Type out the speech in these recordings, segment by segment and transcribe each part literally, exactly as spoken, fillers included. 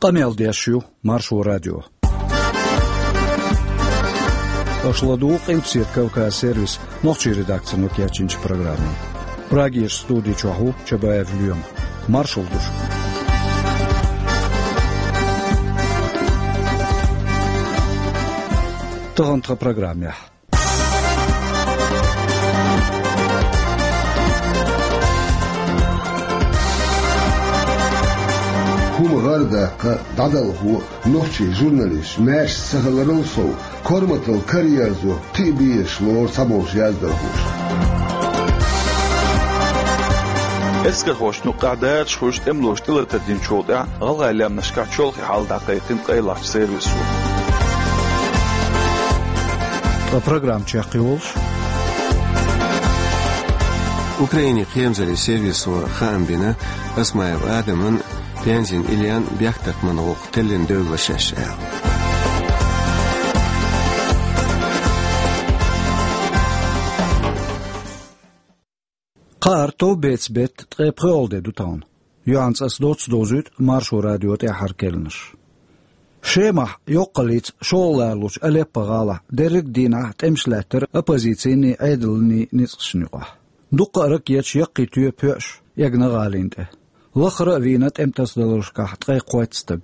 Къамел деш ю Маршо радио. Аша ладугӀу Къилбаседа Кавказ сервисан нохчийн редакцино кечйинчу программе. Прагерчу студи чохь ву Чабаев Лоьма. Маршалла ду шуьга. Тахана тхан программехь. ХӀума гӀар а даккха, дӀадалхо, нохчийн журналисташ маьрша ца хиларал сов, корматалла караерзо, кхин а безаш лору цхьаболчу яздархоша. Эскархошна юккъехь дакъа хуьлуш тӀемалоша тӀелатар динчул тӀаьхьа гӀалгӀайн лаьмнашкахь чолхе хьал дӀакхайкхина къайлахчу сервисо. Ткъа программа чекхйолуш. Украинин кхерамзаллин сервисо хаам бина Осмаев Адаман, Пензин Ильян бехктакхаман гӀуллакх теллина девлла шаьш аьлла. Кхаара товбеца беттан ткъе пхоьалгӀа де ду тахана. Юьхьанца аса доцца довзуьйту Маршо радион тӀаьххьара керланаш. Шемахь йоккхаллица шолгӀа лоруш Алеппо-гӀалахь дерриг а дийнахь тӀемаш лаьттара оппозицин а, Ӏедалан а ницкъашна юкъахь. Дуккха а ракеташ яккхий тоьпан поьаш эгна гӀалина тӀе. Лахара а вийна тӀеман тасадаларшкахь ткъе кхойтта стаг.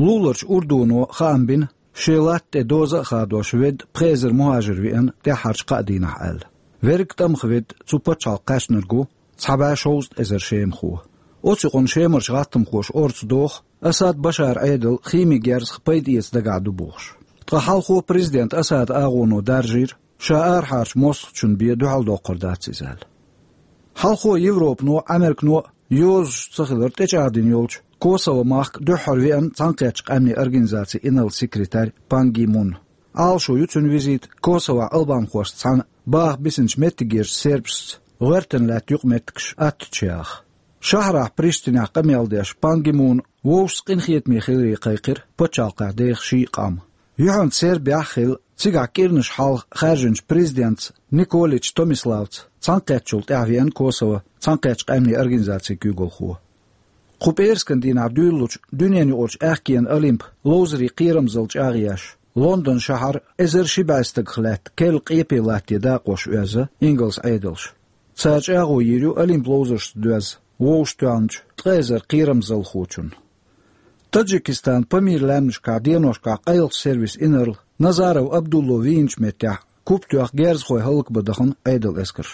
Луларчу Урдуно хаам бина, шен латта тӀе доза а хадош ведда пхи эзар мухӀажир веана тӀаьххьарчу кхаа дийнахь аьлла. Верриг тӀамах ведда цу пачхьалкхе кхаьчнарг ву, цхьа бӀе шовзткъа эзар шемахо. Оцу юкъана шемарчу гӀаттамхоша орца доху, Асад Башаран Ӏедал химин герзах пайда эца дагахь ду бохуш. Ткъа хьалхо президент Асадан агӀоно даржийра, ша арахьарчу мостагӀчун бен дуьхьал доккхур дац иза аьлла. Хьалхо Европано а, Ӏамеркано а йозуш ца хилар тӀечӀагӀдина йолчу Косово махка дуьххьара веана Цхьаьнакхеттачу Къаьмнийн Организацин инарла секретарь Пан Ги Мун. Ӏалашо ю цуьнан визит Косовохь албанхошца цхьаьна баха бисинчу меттигерчу сербашца гӀоьртина лаьтта юкъаметтигаш аттачу яха. Шахьарахь Приштинехь къамел деш Пан Ги Муна вовшашца къинхетаме хиларе кхайкхира пачхьалкхехь деха ши а къам. Юьхьанца Сербехь а хилла, цигахь кӀирнаш хьалха хаьржинчу президентца Николич Томиславца цхьаьнакхеттачул тӀаьхьа веана Косово Цхьаьнакхеттачу Къаьмнийн Организацин куьйгалхо. Кху пӀераскан дийнахь дуьйлалучу дуьненан юкъарчу аьхкенан Олимпан ловзарийн кхерамзалла чӀагӀъеш, Лондон шахьар эзар ши бӀе стагах лаьтта керла къепе латтаде дакъош оьзна ингалс Ӏедалша. Цара чӀагӀо йийр ю Олимпан ловзаршца доьзна вовшахтоьхначу ткъа эзар кхерамзаллахочунна. Таджикистанан Памир лаьмнашкахь деношкахь къайлахчу сервисан инарла Назаров Абдулло вийначу меттехь куп тоьхна герзахой хӀаллакбан дахана Ӏедалан эскарш.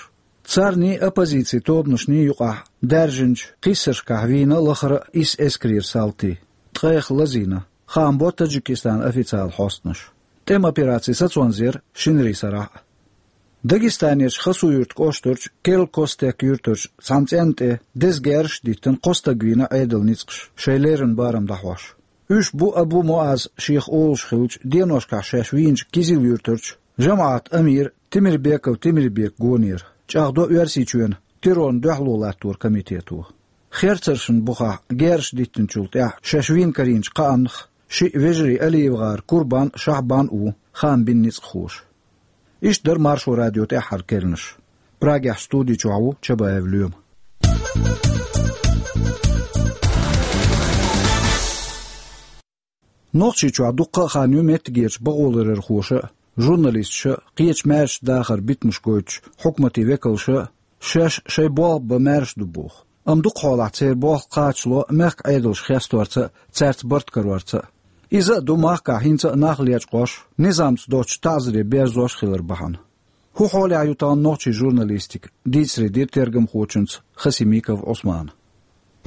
Царний, оппозицин тобанашний юкъахь даьржинчу кхиссаршкахь вийна лахара а исс эскарера салти, ткъех лазийна, хаам бо Таджикистанан официалан хьостанаша. ТӀеман операци сацонза яра шинарин сарахь а. Дагестанерчу Хасавюрт кӀоштарчу Керлан Костек юьртарчу цхьана цӀенна тӀе деза герзаш а диттина кхо стаг вийна Ӏедалан ницкъаша шайн леррина барам дӀахьош. Уьш бу Абу Муаз шех олуш хиллачу деношкахь шаьш вийначу Кизил-Юьртарчу жамаӀатан амира Темирбеков Темирбека гонера, чӀагӀдо Оьрсийчоьнан террорна дуьхьало латторан комитето. Херцаршна бухахь герзаш диттинчул тӀаьхьа шаьш вийна карийначу кхааннах шиъ вежарий АлиевгӀаран Курбан а, Шахьбан а ву, хаам бина ницкъахоша. Иштта дара Маршо радион тӀаьххьара керланаш. Прагехь студи чохь ву Чабаев Лоьма. Нохчийчохь дуккха а хан ю меттигерчу бакъоларъярхоша а, журналисташа а, кхечу маьршачу дахаран битамаш гойтучу хьукматийн векалша а шаьш шайн болх бан маьрша ду боху. Амма дукхахьолахь церан болх кхачало мехкан Ӏедалш хесторца а, цаьрца барт карорца а. Иза а ду махкахь хӀинца а нах лечкъош, низамца доцучу таӀзаре берзош хилар бахьана. ХӀун хьолехь ю тахана нохчийн журналистика, дийцаре дира тергамхочуьнца Хасимиков Ӏусмана.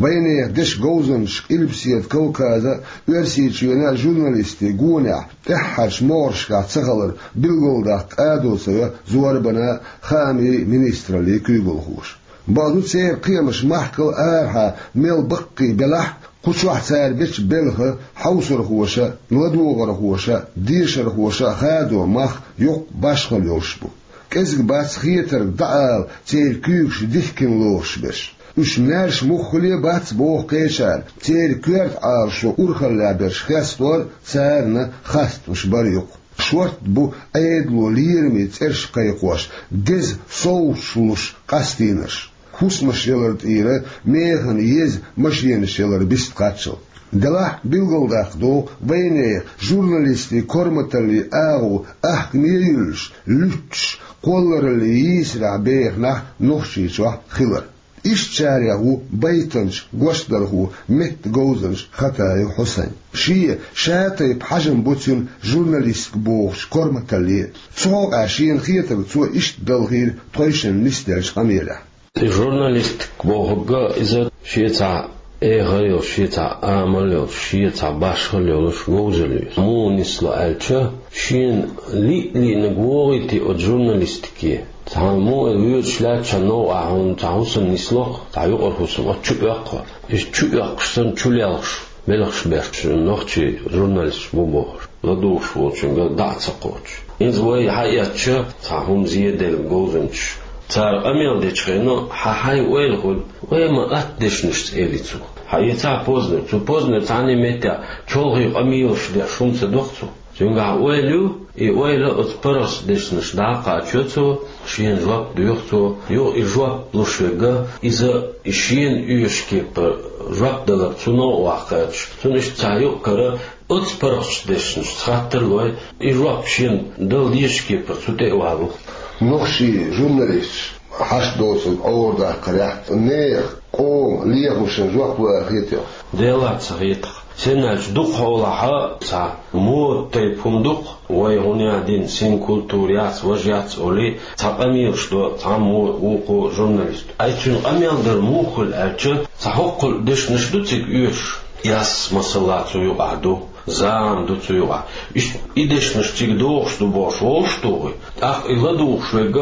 Вайнехан дешан говзанчаша Къилбаседа Кавказан а, Оьрсийчоьнан а журналистийн гонехь тӀаьххьарчу могӀаршкахь ца хилар билгалдаккха къадо ца йо зорбанан а, хаамийн а министраллин а куьйгалхоша. Бакъду, церан кхиамаш махкал арахьа мел баккхий белахь а, кху чохь цара бечу белхан хьовсархоша а, ладогӀархоша а, дешархоша а хадо мах йоккха башхалла йолуш бу. КӀезиг бац хетарг дӀаала церан куьйгаш дихкина лоруш берш. Уьш маьрша муххале а бац боху кхечара, церан коьрта Ӏалашо урхаллехь берш хестор а, царна хастамаш бар а ю-кх. Шортта бу Ӏедало лераме цӀераш кхайкхош, деза совгӀаташ луш къастийнарш. хӀусамаш ялар тӀера, механа еза машенаш ялар бист кхаччалц. Делахь а билгалдаккха догӀу вайнехан журналистийн корматаллин агӀо ахкаме а юьллуш, луьтташ, кхоллараллин йийсарехь беха нах Нохчийчохь хилар. Ишттачарех ву байтанча, гочдархо, меттан говзанча Хатаев Хьусайн. Шен ша тайпа хьежам бу цуьнан журналистика бохучу корматалле. Цу хьокъехь шена хетарг цо иштта далхийра тхойшинна нисделлачу къамелехь. И журналистика бохург иза шен цхьа эхар йолуш, шен цхьа амал йолуш, шен цхьа башхалла йолуш говзалла ю. Муха нисло аьлча, шена лиъ-лиънарг вогӀийти оцу журналистике. Цхьана муха а воьдуш лаьттачу новкъахь хьуна цхьа хӀусам нисло-кх, цхьа юкъара хӀусам, оцу чу оьккху. Иза чу оьккхуш санна, чу лелхаш, белхаш беш нохчийн журналисташ бу бохуш, ладугӀуш волчуьнга дӀа а ца кхочуш. ХӀинца вай хьаэцча, цхьа хӀума зеделла говзанчаш, цара къамел дечу хенахь хьан хьайн ойла хуьлу, вай ма атта дешнашца, элира цо. Хьаэцахь Познер, цу Познер цхьанне а меттехь чолхе къамелаш деш хӀума ца доху цо. Цуьнгахь ойла ю, и ойла оцу паргӀатчу дешнашка дӀа а кхачо цо, шена жоп доьху цо, юха и жоп луш верг, иза и шена оьшучу кепара жоп далар цу новкъа ваккха кхаьчча, цунна иштта цхьа юкъ-кара оцу паргӀатчу дешнашца хаттар а лой, и жоп шена дала дезачу кепара цу тӀе а валуш. Нохчийн журналисташ хьашт доцург Ӏорадаккхарехь, нехан, къоман лехамашна жоп ло аьлла хетий хьуна? Делахь ца хета-кх. Сенна аьлча дукха хьолахь цхьа мода тайпа хӀума ду-кх, вай хӀун ян дина, синкультура яц, важа яц олий, цхьа къамелаш до цхьаммо а вукхо журналисто. Ай, цуьнан къамел дар муха хуьлу аьлча, цхьа хӀоккхул дешнаш ду цига оьшуш. Эс, масала, цу юкъахь ду, зама ду цу юкъахь. Иштта и дешнаш цига догӀуш ду бохуш волуш а тухий, тӀаккха и ладугӀуш верг,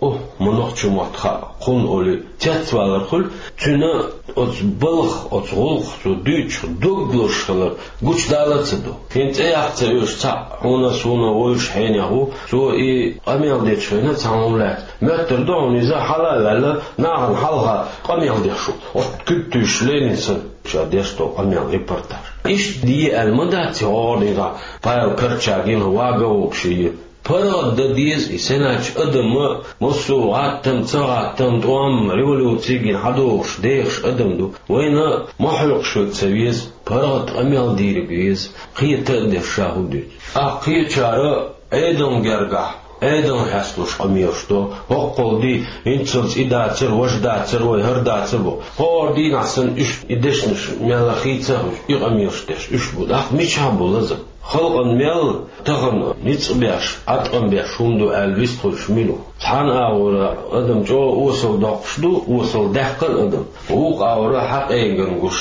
о, ма нохчийн мотт хаьа кхунна олий, цецвалар хуьлу, цуьнан оцу балха, оцу гӀуллакха цо дуьйцуш дог лозуш хилар гучудала а ца до. ХӀинца цӀе яккха ца оьшу цхьаъ, хьуна а, суна а вевзаш хьенех ву, цо и къамел дечу хенахь цхьа хӀума лаьцна. Моьттур ду хьуна иза хьала а ваьлла, нахана хьалха къамел деш ву. Оцу куьг туьйсуш Ленин санна, ша деш долу къамел, репортаж. Иштта де аьлла ма дац и гӀора дийнахь, Павел Корчагин вага а вогуш и. ПаргӀат дан деза и, сенначу адаман массо а гӀаттам, ца гӀаттам, тӀом, революци гина хьадогӀуш, дехаш адам ду. Вайна ма хьоькхуш верг ца веза, паргӀат къамел дийриг веза, кхета а деш ша хӀун дуьйцу. ТӀаккха кхечара Ӏедална гергахь, Ӏедална хьесталуш къамелаш до, хӀоккхул ди, хӀинццалц и дацара, важа дацара, вай хӀара дацара бо. ХӀора дийнахь санна уьш и дешнаш мелла хийца а хуьлуш, и къамелаш деш уьш бу. ТӀаккха мичахь бу лазам? Халкъана мел тахана ницкъ беш, Ӏаткъам беш хӀума ду аьлла вистхуьлуш мила ву? Цхьана агӀора адам чӀогӀа осал доккхуш ду, осал даьккхина адам. Вукху агӀора хьакъеган гуш,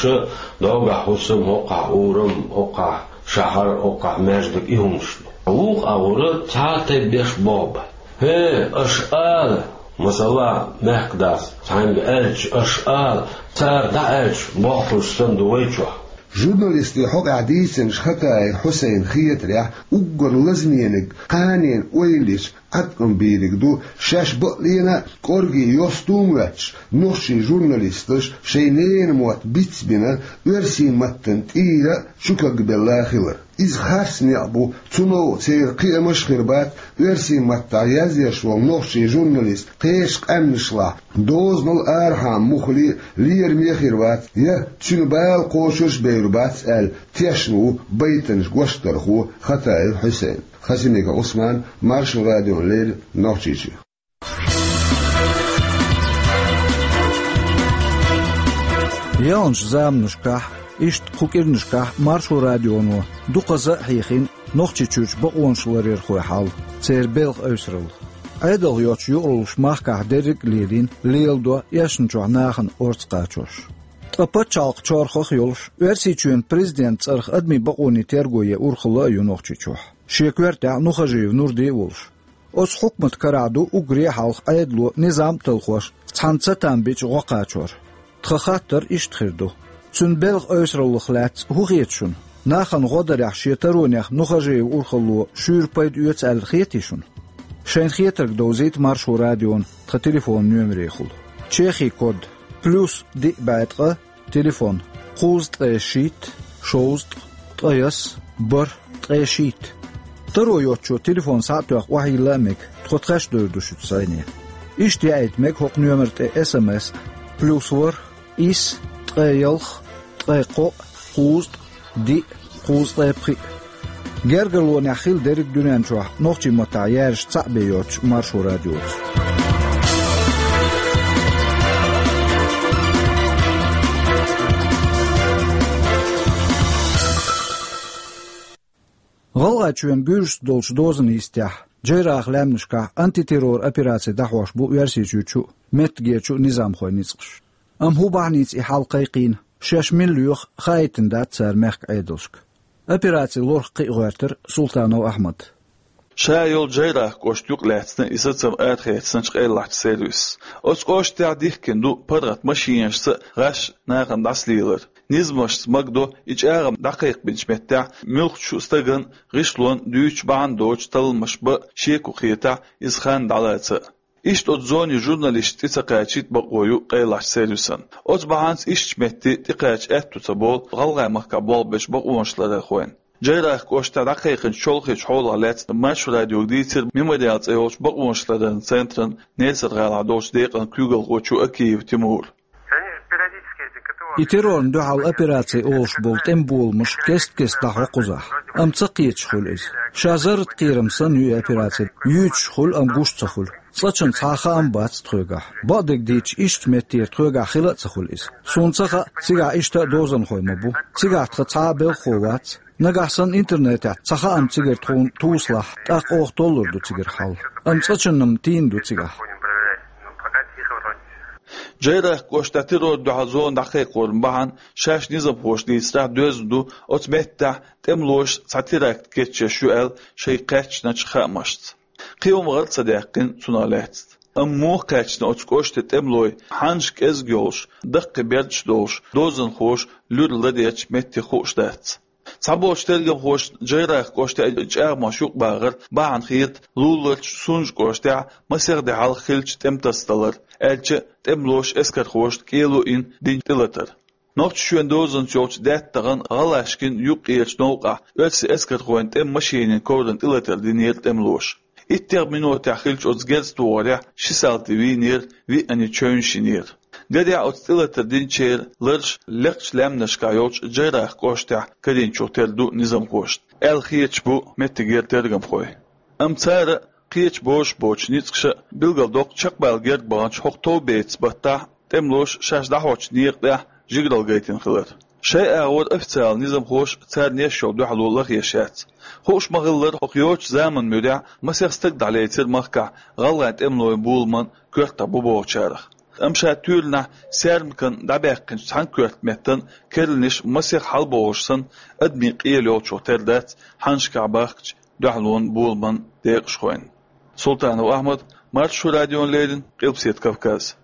догахь хӀусам, хӀокхахь урам, хӀокхахь шахьар, хӀокхахь маьждиг, и хӀуманаш ду. Вукху агӀора цхьа а тайпа беш болх бан. ХӀе, аша ала, масала, мехкадас цхьаьнга аьлча, аша ала, цара дӀааьлча, болх хуьлуш санна ду вай чохь. Журналистийн хьокъехь дийцинчу Хатаев Хьусайна хетарехь, уггар лазамениг кханенан ойла йича Ӏаткъам бийриг ду, шаьш бакъ лена а кӀорге йосту а моьттуш, нохчийн журналисташ шайн ненан мотт бицбина, оьрсийн маттана тӀера а чукагбелла а хилар. Иза харц некъ бу, цу новкъа церан кхиамаш а хир бац, оьрсийн маттахь язъеш волу нохчийн журналист кхечу къаьмнашлахь дозанал арахьа муххале а лераме а хир вац, я цуьнан бала кхочуш а бевр бац аьлла, тешна ву байтанча гочдархо Хатаев Хьусайн. Хасимиков Ӏусман, Маршо радиона леррина, Нохчийчоь. Яьллачу заманашкахь, иштта кху кӀирнашкахь Маршо радионо дукхаза а хьехийна Нохчийчуьрчу бакъонашларъярхойн хьал, церан белхан эвсаралла. Ӏедалх йоцчу юкъараллаш махкахь дерриг а лелийна, леладо эшначохь нахана орца кхачош. Ткъа пачхьалкхан чорхах а йолуш, Оьрсийчоьнан президентан цӀарах адамийн бакъонийн терго ен урхалла а ю Нохчийчохь, шен коьртехь Нухажиев Нурди а волуш. Оцу хьукматан карахь ду уггаре а хьалха Ӏедало низам а талхош, цхьана цатам бича гӀо кхачор. Тхан хаттар иштта хир ду: цуьнан белхан эвсараллах лаьцна хӀун хета шуна? Нахана гӀо дарехь шен таронех Нухажиевн урхалло шуьйра пайда оьцу аьлла хетий шуна? Шайн хетарг довзийта Маршо радиона тхан телефонан номерехула. Чехин код: плюс диъ бӀе ткъа, телефон: кхузткъе шийтта, шовзткъа, ткъаяс, бархӀ, ткъе шийтта. Таро йоцучо телефон схьа а тоьхна охьайилла а мега, тхо тхаьш довр ду шуьца зӀене. Иштта яийта мега хӀокху номер тӀе эс эм эс, Плюс ворхӀ, исс, ткъе ялх, ткъе кхоъ, кхузткъа, диъ, кхузткъе пхиъ. Гергарлонехь хилла дерриг дуьнен чохь нохчийн маттахь яьржачу цхьаъ бен йоцчу Маршо радиоца. ГӀалгӀайчоьнан гуьржашца долчу дозанан йистехь, Джейрахь лаьмнашкахь антитеррор операци дӀахьош бу Оьрсийчуьрчу а, меттигерчу а низамхойн ницкъаш. Амма хӀун бахьаница и хьал кхайкхийна, шаьш мила лоьху, хаийтина дац цара мехкан Ӏедалшка. Операцин лорах кхиъ гӀоьртира Султанов Ахьмада. Ша йолу Джейрахь кӀошта юкъалаьцна и сацам арахецначу къайлахчу сервисо. Оцу кӀоштехь дихкина ду паргӀат машинашца а, гӀаш а нахана дӀасалелар. Низамашца магадо и чӀагӀам дӀакхайкхабинчу меттехь муьлххачу стагана, гӀишлонна дуьйцуш бахьана доцуш талламаш бан а, шеко хетахь, иза хан дӀалаца а. Иштта оцу зонин журналисташ тӀе ца кхачийта бакъо ю къайлахчу сервисан. Оцу бахьанца ишттачу метте тӀекхача аьтту ца болу ГӀалгӀайн махкахь болх бечу бакъонашларъярхойн. Джейрахь кӀоштахь дӀакхайкхинчу чолхечу хьолах лаьцна Маршо радиога дийцира Мемориал цӀе йолчу бакъонашларъяран центран Несар-гӀалахь долчу декъан куьйгалхочо Акиев Тимура. И террорна дуьхьал операци олуш болу тӀеман боламаш кест-кеста дӀахьо кхузахь, амма ца кхеташ хуьлу иза. Ша зарратан кхерам санна ю и операци, юьйцуш хуьлу, амма гуш ца хуьлу. Цкъачунна цхьа а хаам бац тхоьгахь. Бакъдерг дийцича, иштта меттера тхоьгахь хила а ца хуьлу иза. Суна ца хаьа, цигахь иштта а дозанхой ма бу. Цигахь тхан цхьа а белхахо вац. Нагахь санна интернетехь цхьа хаам цигара тхуна тосалахь, тӀаккха оха толлур ду цигара хьал. Амма цкъачунна-м тийна ду цигахь. Джейрахь кӀоштахь террорна дуьхьал зона дӀакхайкхоран бахьана шаьш низамхоша дийцарехь доьзна ду оцу меттехь тӀемалоша цхьа теракт кечъеш ю аьлла шайга кхаьчначу хаамашца. Кхин хӀума гӀар ца даьккхина цунах лаьцна. Амма муха кхаьчна оцу кӀоштан тӀемалой, хьаннаш кӀезиг йолуш, даккхий бердаш долуш, дозанхоша луьра ладечу метте хууш дац. Цхьаболчу тергамхошна Джейрахь кӀоштехь и чӀагӀамаш юкъабахар бахьана хета луларчу Сунжа кӀоштехь масех де хьалха хиллачу тӀематасадалар, аьлча а тӀемалоша эскархошна кӀело йина динчу тӀелатар. Нохчийчоьнан дозанца йолчу даьттан тӀегӀан ГӀалашкин юккъерачу новкъахь оьрсийн эскархойн тӀеман машенийн коврана тӀелатар динера тӀемалоша. ИттегӀа минотехь хиллачу оцу герз тохарехь ши салти вийнера, виъ чевнаш йинера. Гарехь, оцу тӀелатар динчеран ларш лекхачу лаьмнашкахь йолчу Джейрахь кӀоштехь карийначух тера ду низамхошна, аьлла хеташ бу меттигера тергамхой. Амма цара кхечу бозуш боцчу ницкъаша а билгалдоккху чекхбала герга баханчу хӀокху товбецан баттахь тӀемалоша шаьш дӀахьочу некъа тӀехь жигаралла гайтина хилар. Шайн агӀор официалан низамхоша царна еш йолу дуьхьало лахъеш яц. Хууш ма-хиллара, хӀокху йоцучу заманан муьрехь масех стаг дӀалецира махкахь гӀалгӀайн тӀемалойн боламан коьртахь бу бохучарах. Амма ша туьйранахь Сермакан дӀабаьккхинчу цхьана коьрта меттан керланаш масех хьалабохуш санна, адамийн къелла йолчух тера дац хьаннашкахь бахкачу дуьхьалонан боламан декъашхойн. Султанов Ахьмад, Маршо радиона леррина, Къилбаседа Кавказ.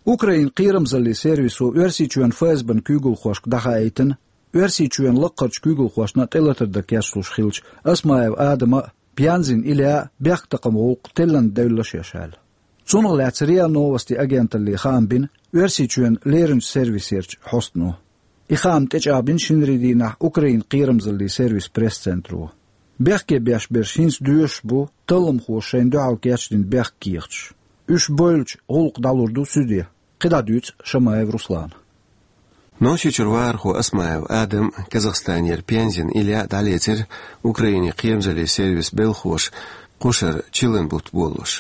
Украинан кхерамзаллин сервисо Оьрсийчоьнан ФСБ-н куьйгалхошка дӀахаийтина, Оьрсийчоьнан лаккхарчу куьйгалхошна тӀелатар дан кечлуш хиллачу Осмаев Адама а, Пензин Илья а бехктакхаман гӀуллакх теллина девлла шаьш аьлла. Цунах лаьцна РИА Новости агенталле хаам бина Оьрсийчоьнан леринчу сервисерчу хьостано. И хаам тӀечӀагӀбина шинарин дийнахь Украинан кхерамзаллин сервисан пресс-центро. Бехке беш берш хӀинца доьшуш бу, талламхоша шайна дуьхьал кечдина бехк кехаташ. Уьш бевлча, гӀуллакх дӀалур ду суьде. КхидӀа дуьйцу Шамаев Руслана. Нохчийчуьра вахархо Осмаев Адам, Казахстанера Пензин Илья дӀалецира Украинан кхерамзаллин сервисан белхахоша кхушара чиллан бутт болалуш.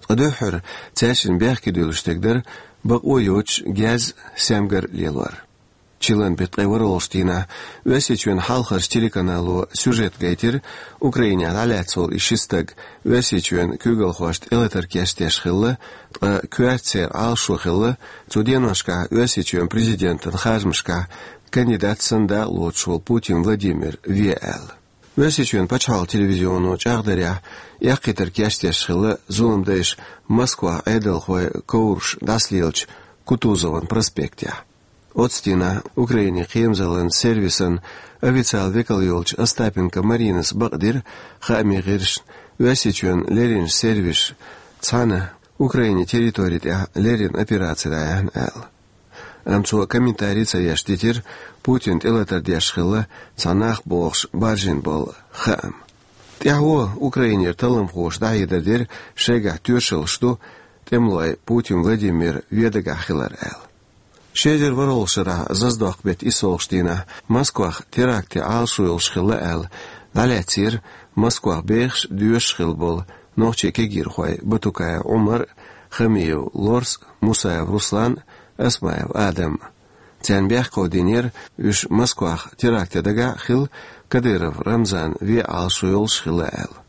Ткъа дуьххьара цаьршинна бехке дуьллуш стаг дара бакъо йоцуш герз, саьмгар лелор. Чиллан беттан ткъе ворхӀалгӀачу дийнахь Оьрсийчоьнан хьалхарчу телеканало сюжет гайтира Украинехь дӀалаьцна волу и ши стаг Оьрсийчоьнан куьйгалхошна тӀелатар кечдеш хилла, ткъа коьрта церан Ӏалашо хилла, цу деношкахь Оьрсийчоьнан президентан харжамашкахь кандидат санна дакъалоцуш волу Путин Владимир ве аьлла. Оьрсийчоьнан пачхьалкхан телевизионо чӀагӀдарехь, эккхийтар кечдеш хилла зуламдайша Москвахь Ӏедалхойн ковраш дӀасалелачу Кутузован проспектехь. Оцу дийнахь Украинан кхерамзаллин сервисан официалан векал йолчу Остапенко Маринас бакъдира хаамийн гӀирсашна Оьрсийчоьнан леринчу сервисаша цхьаьна Украинан территори тӀехь леррина операци дӀаяьхьна аьлла. Амма цо комментари ца еш дитира Путина тӀелатар деш хилла цхьа нах бохуш баржийна болу хаам. ТӀаьхьо Украинера талламхоша дӀахьедар дира, шайгахь тоьшаллаш ду тӀемалой Путин Владимир ве дагахь хилар аьлла. Ши эзар ворхӀолгӀачу шарахь Заздоккху беттан иссалгӀачу дийнахь Москвахь терактан Ӏалашо йолуш хилла аьлла, дӀалаьцнера Москвахь бехаш а, доьшуш а хилла болу нохчийн кегийрхой Батукаев Ӏумар а, Хамиев Лорс а, Мусаев Руслан а, Осмаев Адам а. Царна бехк а динера, уьш Москвахь терактан дагахь а хилла, Кадыров Рамзанан ве Ӏалашо йолуш хилла аьлла.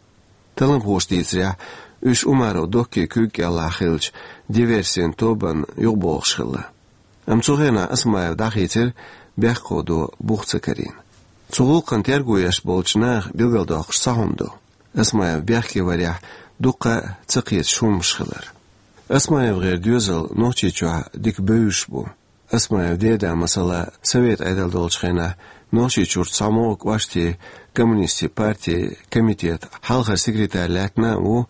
Талламхоша дийцарехь, уьш Умаров Доккин куьйга кӀелахь хиллачу диверсийн тобанна юхабохуш хилла. Амма цу хенахь Осмаев дӀахийцира, бехк а до бух ца карийна. Цу гӀуллакхна терго еш болчу наха билгалдоккхуш цхьа хӀума ду: Осмаев бехке варехь дуккха а ца кхеташ хӀуманаш хилар. ОсмаевгӀеран доьзал Нохчийчохь дика бевзаш бу. Осмаевн деда, масала, Советан Ӏедал долчу хенахь Нохчийчуьра цхьамогӀа кӀоштан коммунистийн партин комитетан хьалхара секретарь лаьттина а ву,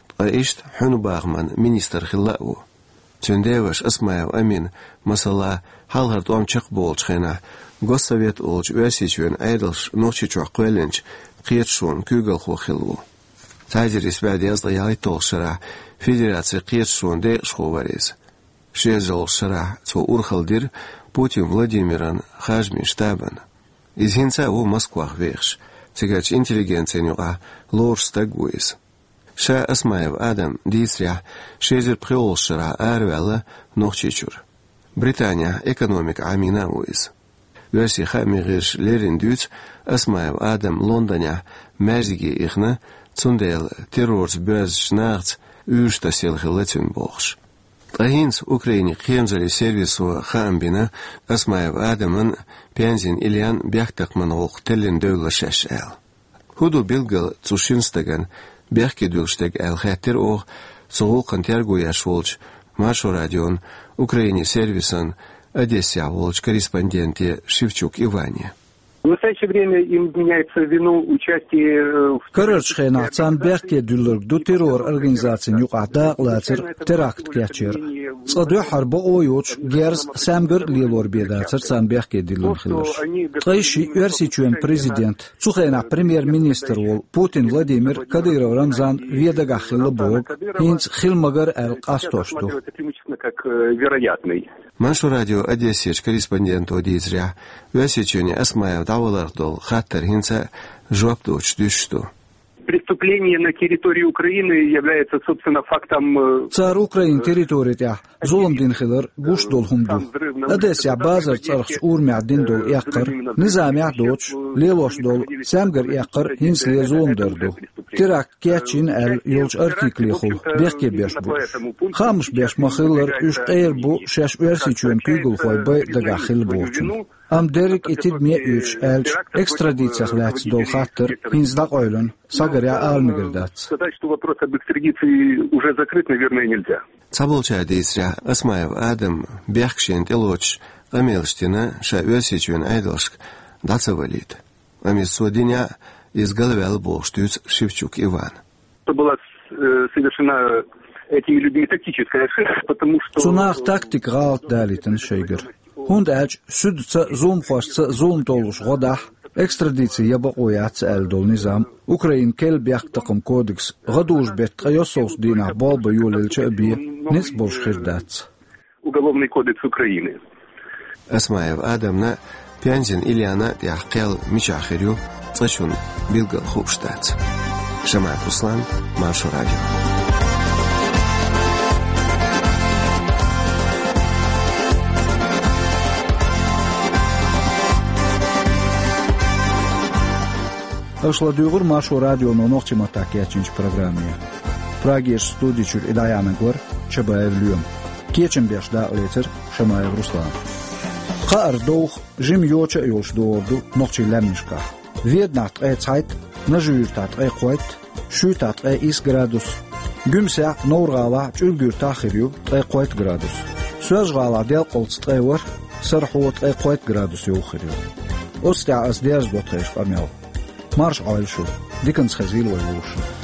ткъа иштта хьуьнан бахаман министр хилла а ву. Цуьнан деваша Осмаева Амина, масала, хьалхара тӀом чекхболучу хенахь, Госсовет олучу Оьрсийчоьнан Ӏедалша Нохчийчохь кхоьллинчу кхеташонан куьйгалхо хилла ву. Цхьа эзар исс бӀе дезткъе ялхитталгӀачу шарахь Федерацин кхеташонан декъашхо вара иза. Ши эзарлагӀчу шарахь цо урхалла дира Путин Владимиран харжамийн штабана. Иза хӀинца а ву Москвахь вехаш, цигарчу интеллигенцина юкъахь лоруш стаг ву иза. Ша Осмаев Адам дийцарехь, ши эзар пхоьалгӀачу шарахь араваьлла Нохчийчуьра. Британехь экономикан Ӏамийна а ву иза. Оьрсийн хаамийн гӀирсаша леррина дуьйцу, Осмаев Адам Лондонехь маьждиге ихна, цундела террорца боьзначу нахаца уьйраш тасъелла хилла цуьнан бохуш. Ткъа хӀинца Украинин кхерамзаллин сервисо хаам бина, Осмаев Адаман а, Пензин Ильян а бехктакхаман гӀуллакх теллина девлла шаьш аьлла. ХӀун ду билггал цу шина стагана бехке дуьллуш дерг аьлла хаьттира оха цу гӀуллакхна терго еш волчу Маршо радион Украинин сервисан Одессехь волчу корреспонденте Шевчук Иване. В настоящее время им вменяется в вину участие, э, в Карарчу хенахь царна бехке дуьллург ду террор организацина юкъахь дакъалацар, теракт кечъяр. Цкъа дуьххьара бакъо йоцуш, герз, саьмгар а лелор бен дацар царна бехке диллина хиларш. Ткъа и шиъ Оьрсийчоьнан президент, цу хенахь премьер-министр волу Путин Владимир, Кадыров Рамзан вен дагахь хилла бохург, хӀинца хила магар аьлла къастош ду. Как, э, вероятный. Маршо радион Одессерчу корреспонденто дийцарехь, Оьрсийчоьне Осмаев дӀаваларх долу хаттар хӀинца а жоп доцуш дуьсуш ду. Преступление на территории Украины является, собственно, фактом, э, Цара Украинин территори тӀехь зулам дина хилар гуш долу хӀума ду. Одессехь базар цӀарахчу урамехь дина долу эккхар, низамехь а доцуш, лелош долу саьмгар эккхар хӀинцале зуламдар ду. Теракт кечйина аьлла йолчу артиклехула бехке беш бу уьш. Хаамаш беш ма-хиллара, уьш къера бу шаьш Оьрсийчоьнан куьйгалхой бен дагахь хилла бохучунна. Амма дерриг и тидаме а оьцуш аьлча, экстрадицех лаьцна долу хаттар хӀинца дӀакъевлина, схьагарехь ала мегар дац. Сказать, что вопрос об экстрадиции уже закрыт, наверное, нельзя. Цхьаболчара дийцарехь, Осмаев Адам бехк шена тӀелоцуш къамелаш дина, ша Оьрсийчоьнан Ӏедалшка дӀа ца валийта. Амма иза цо динехь а, иза галваьлла бохуш дуьйцу Шевчук Ивана. Это была, э, совершена этими людьми тактическая ошибка, потому что Цу наха тактика гӀалат далийтина шайгара. ХӀунда аьлча суьдаца а, зуламхошца а зулам толлуш гӀо дахь, экстрадици ян бакъо яц аьлла долу низам, Украинан керла бехктакхаман кодекс, гӀадужу-беттан ткъе йоьссалгӀачу дийнахь болх бан йолаелча а бен, ницкъ болуш хир дац. Уголовный кодекс Украины. Осмаев Адамна, Пензин Ильяна тӀехь кхел мичахь хир ю, цкъачунна билггал хууш дац. Шамаев Руслан, Маршо радио. Аша ладуьйгӀура Маршо радионо нохчийн маттахь кечйинчу программе. Прагерчу студи чуьра и дӀаяьхьнарг вара Чабаев Лоьма. Кечам беш дакъалецира Шамаев Руслана. Кхаара довха, жима йоча а йолуш догӀур ду нохчийн лаьмнашкахь. Веданахь ткъе цхьайтта, Нажи-Юьртахь ткъе кхойтта, Шуьйтахь ткъе исс градус, Гуьмсехь, Новр-ГӀалахь, Чуьлга-Юьртахь хир ю ткъе кхойтта градус. Соьлжа-ГӀалахь делкъалц ткъе ворхӀ, Сарахьо ткъе кхойтта градус йовха хир ю. Оцу тӀехь ас дерзадо тхешан къамел. Марша Ӏойла шу, диканца хезийла вай вовшашна.